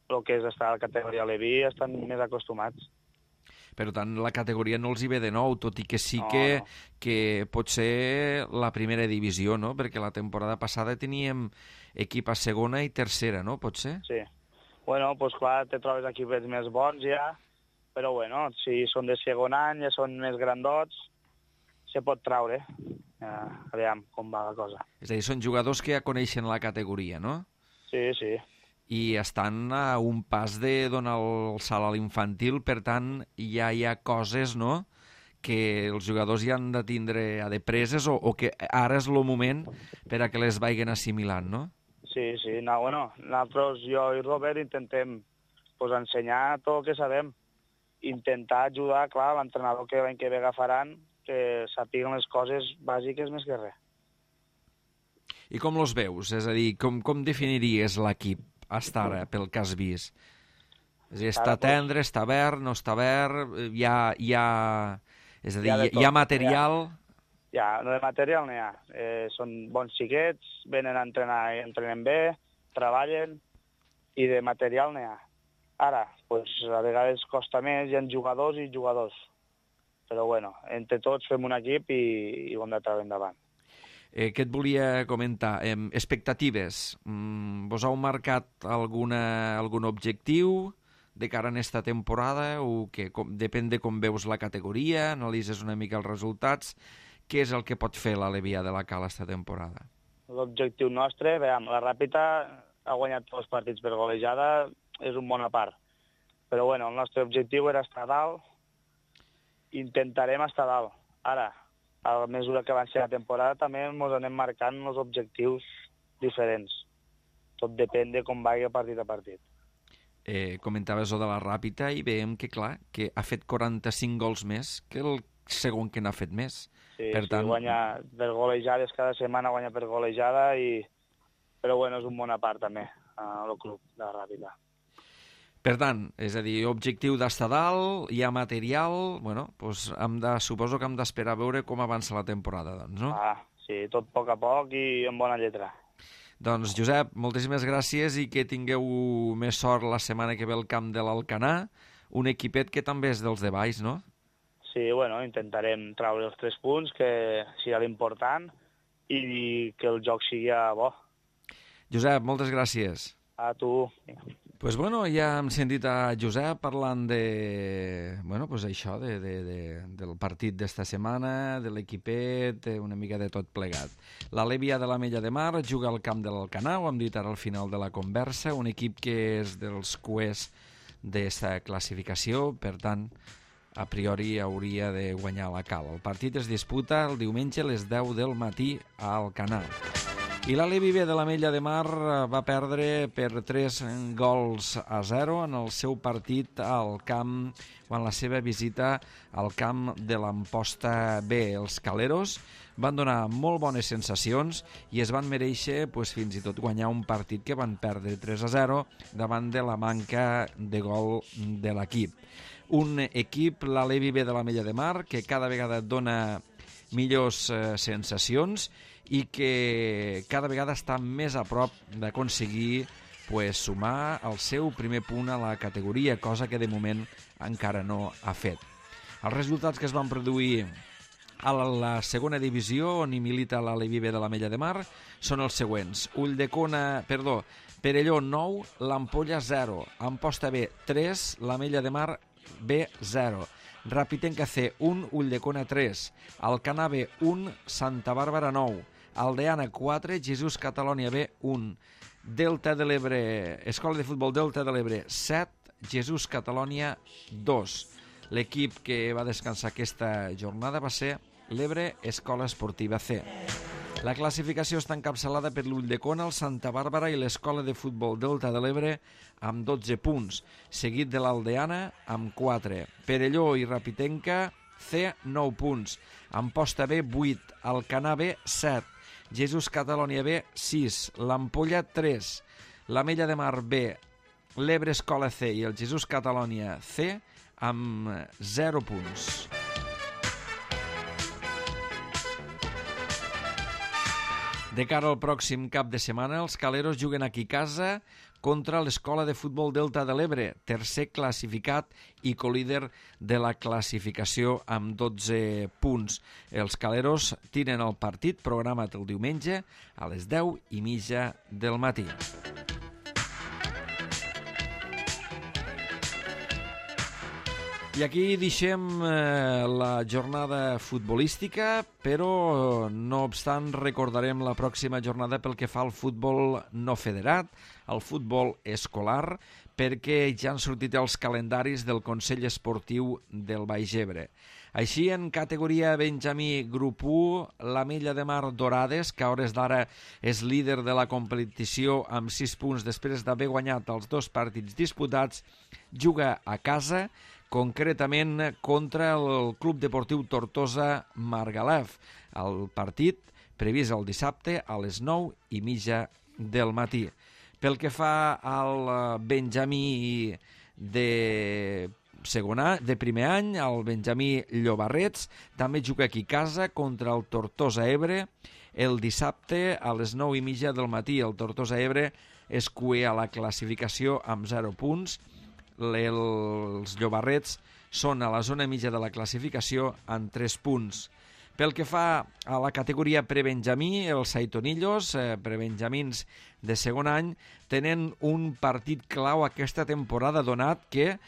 el que és estar a la categoria Leví, estan més acostumats. Per tant, la categoria no els hi ve de nou, tot i que sí que pot ser la primera divisió, no? Perquè la temporada passada teníem equip a segona i tercera, no? Pot ser? Sí. Bueno, doncs clar, te trobes equips més bons ja, però bueno, si són de segon any, ja són més grandots, se pot traure. Aviam com va la cosa. És a dir, són jugadors que ja coneixen la categoria, no? Sí. I estan a un pas de donar el salt a l'infantil, per tant, ja hi ha coses, no?, que els jugadors ja han de tindre adepreses o que ara és el moment per a que les vagin assimilant, no? Sí, no, bueno, nosaltres, jo i Robert, intentem pues, ensenyar tot el que sabem, intentar ajudar, clar, l'entrenador que l'any que ve agafaran, que sàpiguen les coses bàsiques més que res. I com els veus? És a dir, com definiries l'equip hasta ara, pel que has vist? És a dir, està tendre, està verd, no està verd, hi ha material... Ja, de material n'hi ha. Són bons xiquets, venen a entrenar i entrenen bé, treballen, i de material n'hi ha. Ara, pues, a vegades costa més, hi ha jugadors i jugadors. Però bueno, entre tots fem un equip i ho hem de treure endavant. Què et volia comentar? Expectatives. Vos heu marcat algun objectiu de cara a esta temporada o que depèn de com veus la categoria, analitzes una mica els resultats? Què és el que pot fer l'Alevia de la Cala esta temporada? L'objectiu nostre, veiem, la Ràpita ha guanyat tots els partits per golejada, és un bon a part. Però bueno, el nostre objectiu era estar dalt, intentarem estar dalt. Ara, a mesura que avanci la temporada, també ens anem marcant els objectius diferents. Tot depèn de com vagi partit a partit. Comentaves de la Ràpita i veiem que, clar, que ha fet 45 gols més que el segon que n'ha fet més. Sí, guanya per golejades, cada setmana guanya per golejada, però bueno, és un bon a part també, el club de la Ràpita. Per tant, és a dir, objectiu d'estar dalt, hi ha material, bueno, doncs suposo que hem d'esperar a veure com avança la temporada, doncs, no? Sí, tot a poc i amb bona lletra. Doncs, Josep, moltíssimes gràcies i que tingueu més sort la setmana que ve al camp de l'Alcanar, un equipet que també és dels de baix, no? Sí, bueno, intentarem treure els 3 punts, que sigui l'important, i que el joc sigui bo. Josep, moltes gràcies. A tu. Pues bueno, ja hem sentit a Josep parlant de, bueno, pues això, del partit d'esta setmana, de l'equipet, una mica de tot plegat. L'Alevia de l'Ametlla de Mar juga al camp de l'Alcanar, ho hem dit ara al final de la conversa, un equip que és dels cuers d'esta classificació, per tant, a priori hauria de guanyar la Cala. El partit es disputa el diumenge a les 10 del matí a Alcanar. I l'Alevi B de l'Ametlla de Mar va perdre per 3-0 en el seu partit al camp, o en la seva visita al camp de l'Amposta B. Els caleros van donar molt bones sensacions i es van mereixer fins i tot guanyar un partit que van perdre 3-0 davant de la manca de gol de l'equip. Un equip, l'Alevi B de l'Ametlla de Mar, que cada vegada dona millors sensacions i que cada vegada està més a prop d'aconseguir sumar el seu primer punt a la categoria, cosa que de moment encara no ha fet. Els resultats que es van produir a la segona divisió, on hi milita l'Aleví B de l'Ametlla de Mar, són els següents. Perelló 9, l'Ampolla 0, Amposta B 3, l'Ametlla de Mar B 0, Rapitenca C 1, Ulldecona 3, Alcanar B 1, Santa Bàrbara 9, Aldeana 4, Jesús Catalònia B 1, Delta de l'Ebre, Escola de Futbol Delta de l'Ebre 7, Jesús Catalònia 2. L'equip que va descansar aquesta jornada va ser l'Ebre Escola Esportiva C. La classificació està encapçalada per l'Ulldecona, el Santa Bàrbara i l'Escola de Futbol Delta de l'Ebre amb 12 punts, seguit de l'Aldeana amb 4. Perelló i Rapitenca C, 9 punts. Amposta B, 8. Alcanar B, 7. Jesús Catalònia B, 6. L'Ampolla, 3. l'Ametlla de Mar B, l'Ebre Escola C i el Jesús Catalònia C amb 0 punts. De cara al pròxim cap de setmana, els caleros juguen aquí a casa contra l'Escola de Futbol Delta de l'Ebre, tercer classificat i colíder de la classificació amb 12 punts. Els caleros tiren el partit programat el diumenge a les 10:30 del matí. I aquí deixem la jornada futbolística, però no obstant recordarem la pròxima jornada pel que fa al futbol no federat, al futbol escolar, perquè ja han sortit els calendaris del Consell Esportiu del Baix Ebre. Així, en categoria Benjamí Grup 1, l'Ametlla de Mar Dorades, que a hores d'ara és líder de la competició amb 6 punts després d'haver guanyat els 2 partits disputats, juga a casa, concretament contra el Club Deportiu Tortosa Margalef. El partit previst el dissabte a les 9:30 del matí. Pel que fa al Benjamí de primer any, el Benjamí Llobarrets també juga aquí a casa contra el Tortosa Ebre el dissabte a les 9:30 del matí. El Tortosa Ebre és cuer a la classificació amb 0 punts. Els Llobarrets són a la zona mitja de la classificació amb 3 punts. Pel que fa a la categoria prebenjamí, els Saitonillos, prebenjamins de segon any, tenen un partit clau aquesta temporada, donat que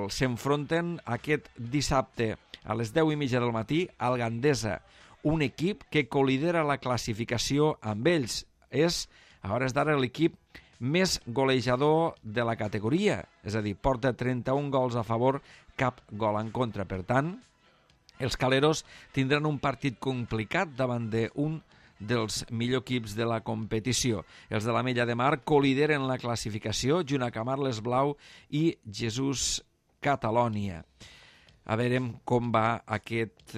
s'enfronten aquest dissabte a les 10:30 del matí al Gandesa, un equip que colidera la classificació amb ells. És, a hores d'ara, l'equip més golejador de la categoria, és a dir, porta 31 gols a favor, cap gol en contra. Per tant, els caleros tindran un partit complicat davant d'un dels millors equips de la competició. Els de l'Ametlla de Mar colideren la classificació junt a Camarles Blau i Jesús Catalònia. A veure com va aquest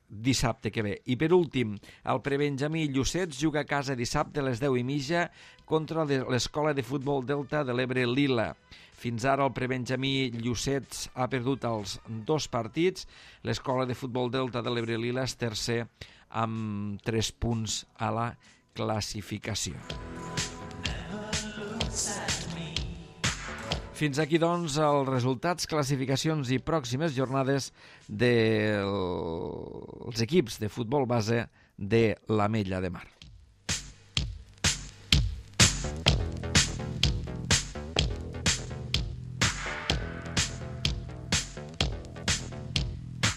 dissabte que ve. I per últim, el prebenjamí Llucets juga a casa dissabte a les 10:30 contra l'Escola de Futbol Delta de l'Ebre Lila. Fins ara el prebenjamí Llucets ha perdut els 2 partits. L'Escola de Futbol Delta de l'Ebre Lila és tercer amb 3 punts a la classificació. Fins aquí, doncs, els resultats, classificacions i pròximes jornades dels equips de futbol base de l'Ametlla de Mar.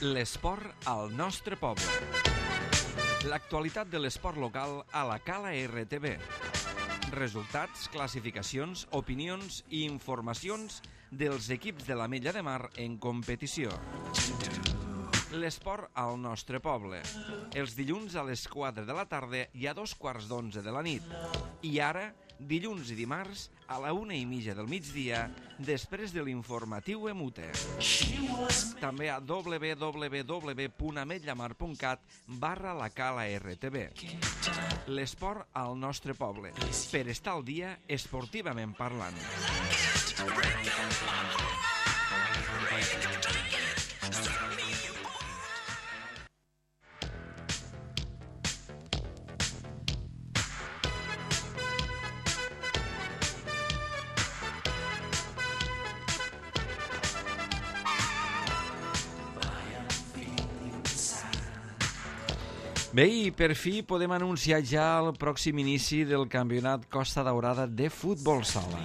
L'esport al nostre poble. L'actualitat de l'esport local a la Cala RTV. Resultats, classificacions, opinions i informacions dels equips de l'Ametlla de Mar en competició. L'esport al nostre poble. Els dilluns a les 4 de la tarda i a 2:15 de la nit. I ara, dilluns i dimarts a la 1:30 del migdia, després de l'informatiu EMUTE. També a www.ametllamar.cat/la Cala RTV. L'esport al nostre poble, per estar al dia esportivament parlant. Bé, i per fi podem anunciar ja el pròxim inici del campionat Costa Daurada de futbol sala.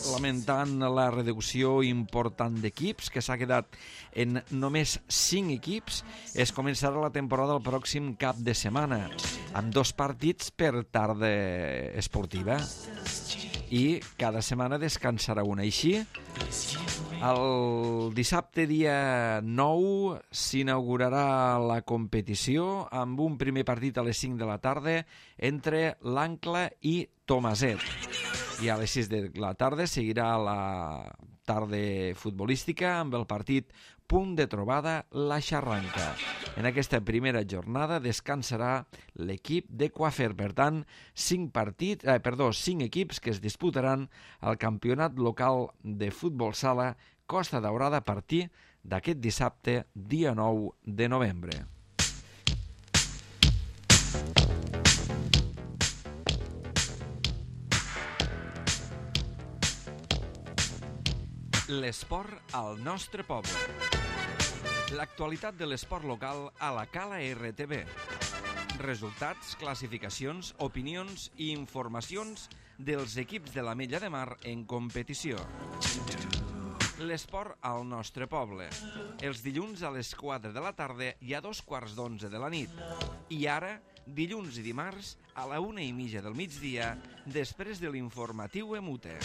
Lamentant la reducció important d'equips, que s'ha quedat en només 5 equips, es començarà la temporada el pròxim cap de setmana, amb 2 partits per tarda esportiva. I cada setmana descansarà una. Així, el dissabte dia 9 s'inaugurarà la competició amb un primer partit a les 5 de la tarda entre l'Ancla i Tomaset. I a les 6 de la tarda seguirà la tarda futbolística amb el partit Punt de Trobada La Xarranca. En aquesta primera jornada descansarà l'equip de Coafer. Per tant, 5 equips que es disputaran al campionat local de futbol sala Costa Daurada a partir d'aquest dissabte, dia 9 de novembre. L'esport al nostre poble. L'actualitat de l'esport local a la Cala RTV. Resultats, classificacions, opinions i informacions dels equips de l'Ametlla de Mar en competició. L'esport al nostre poble. Els dilluns a les 4 de la tarda i a 2:15 de la nit. I ara, dilluns i dimarts, a la 1:30 del migdia, després de l'informatiu EMUTE.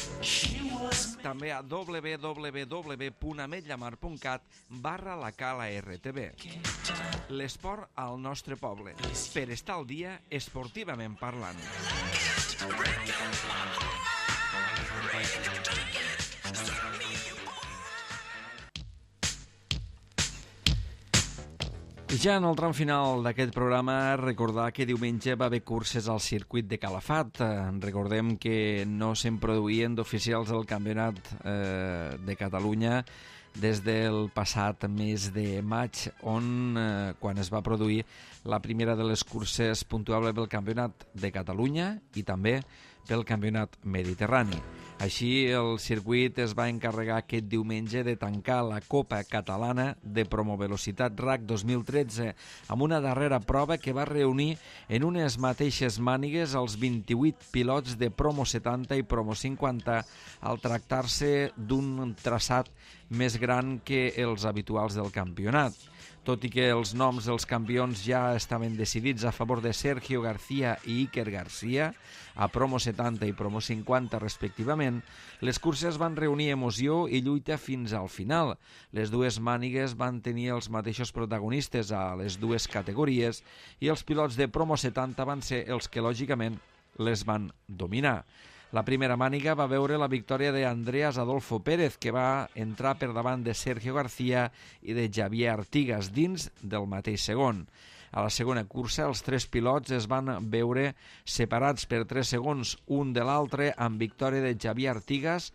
També a www.ametllamar.cat/la Cala RTV. L'esport al nostre poble, per estar al dia esportivament parlant. I ja en el tram final d'aquest programa, recordar que diumenge va haver curses al circuit de Calafat. Recordem que no se'n produïen d'oficials del Campionat de Catalunya des del passat mes de maig, on quan es va produir la primera de les curses puntuables pel Campionat de Catalunya i també pel Campionat Mediterrani. Així, el circuit es va encarregar aquest diumenge de tancar la Copa Catalana de Promovelocitat RAC 2013 amb una darrera prova que va reunir en unes mateixes mànigues els 28 pilots de Promo 70 i Promo 50 al tractar-se d'un traçat més gran que els habituals del campionat. Tot i que els noms dels campions ja estaven decidits a favor de Sergio García i Iker García, a Promo 70 i Promo 50 respectivament, les curses van reunir emoció i lluita fins al final. Les dues mànigues van tenir els mateixos protagonistes a les dues categories i els pilots de Promo 70 van ser els que lògicament les van dominar. La primera màniga va veure la victòria d'Andreas Adolfo Pérez, que va entrar per davant de Sergio García i de Javier Artigas dins del mateix segon. A la segona cursa, els 3 pilots es van veure separats per 3 segons un de l'altre, amb victòria de Javier Artigas,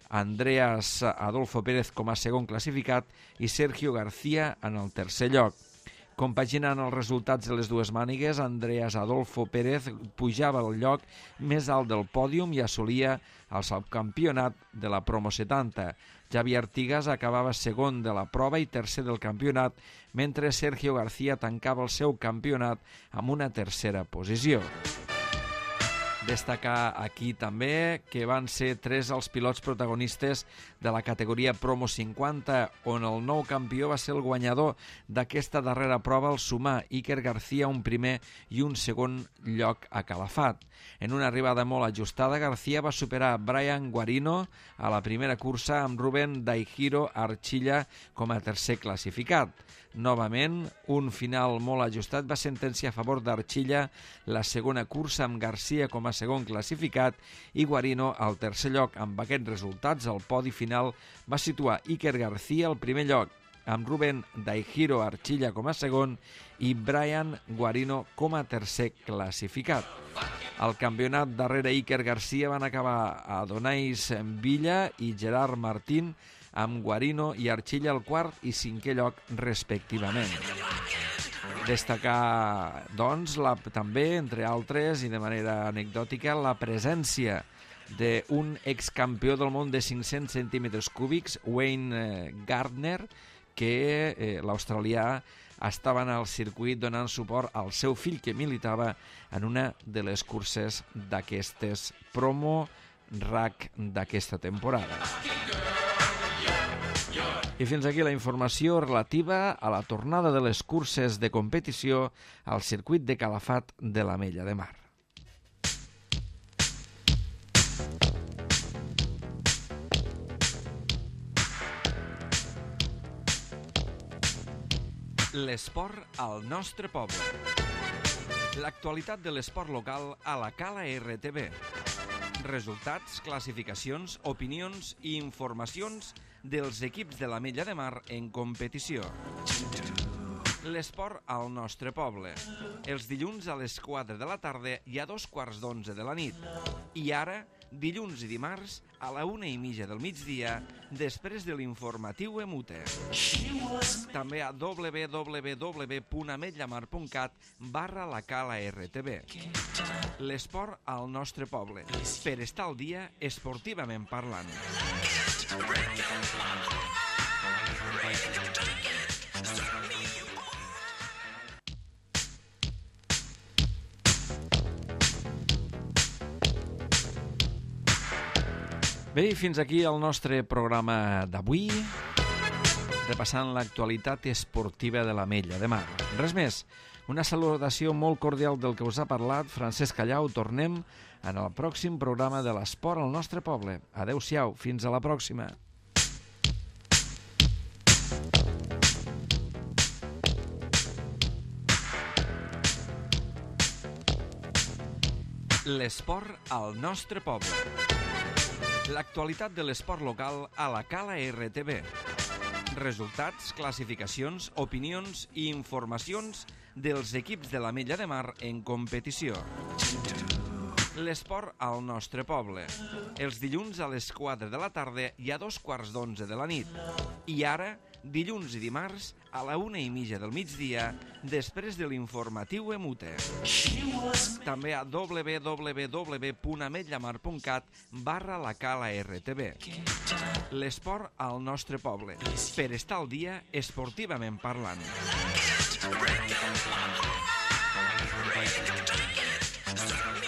Andreas Adolfo Pérez com a segon classificat i Sergio García en el tercer lloc. Compaginant els resultats de les dues mànigues, Andreas Adolfo Pérez pujava al lloc més alt del pòdium i assolia el subcampionat de la Promo 70. Javier Artigas acabava segon de la prova i tercer del campionat, mentre Sergio García tancava el seu campionat amb una tercera posició. Destacar aquí també que van ser 3 els pilots protagonistes de la categoria Promo 50, on el nou campió va ser el guanyador d'aquesta darrera prova, el sumar Iker García, un primer i un segon lloc a Calafat. En una arribada molt ajustada, García va superar Brian Guarino a la primera cursa amb Rubén Daihiro Archilla com a tercer classificat. Novament, un final molt ajustat va sentenciar a favor d'Archilla la segona cursa amb García com a segon classificat i Guarino al tercer lloc. Amb aquests resultats, el podi final va situar Iker García al primer lloc, amb Rubén Daihiro Archilla com a segon i Brian Guarino com a tercer classificat. Al campionat darrere Iker García van acabar a Donais Villa i Gerard Martín, amb Guarino i Archilla al quart i cinquè lloc respectivament. Destacar, doncs, també, entre altres, i de manera anecdòtica, la presència d'un excampió del món de 500 centímetres cúbics, Wayne Gardner, que l'australià estaven al circuit donant suport al seu fill que militava en una de les curses d'aquestes promo RAC d'aquesta temporada. I fins aquí la informació relativa a la tornada de les curses de competició al circuit de Calafat de l'Ametlla de Mar. L'esport al nostre poble. L'actualitat de l'esport local a la Cala RTV. Resultats, classificacions, opinions i informacions dels equips de l'Ametlla de Mar en competició. L'esport al nostre poble. Els dilluns a les 4 de la tarda i a 2:15 de la nit. I ara, dilluns i dimarts, a la 1:30 del migdia, després de l'informatiu EMUTE. També a www.ametllamar.cat/la Cala RTV. L'esport al nostre poble, per estar al dia esportivament parlant. Bé, i fins aquí el nostre programa d'avui, repassant l'actualitat esportiva de l'Ametlla de Mar. Res més, una salutació molt cordial del que us ha parlat Francesc Callau. Tornem en el pròxim programa de l'esport al nostre poble. Adéu-siau, fins a la pròxima. L'esport al nostre poble. L'actualitat de l'esport local a la Cala RTV. Resultats, classificacions, opinions i informacions dels equips de l'Ametlla de Mar en competició. L'esport al nostre poble. Els dilluns a les 4 de la tarda i a 2:15 de la nit. I ara, dilluns i dimarts, a la 1:30 del migdia, després de l'informatiu EMUTE. També a www.ametllamar.cat/la Cala RTV. L'esport al nostre poble, per estar al dia esportivament parlant. Start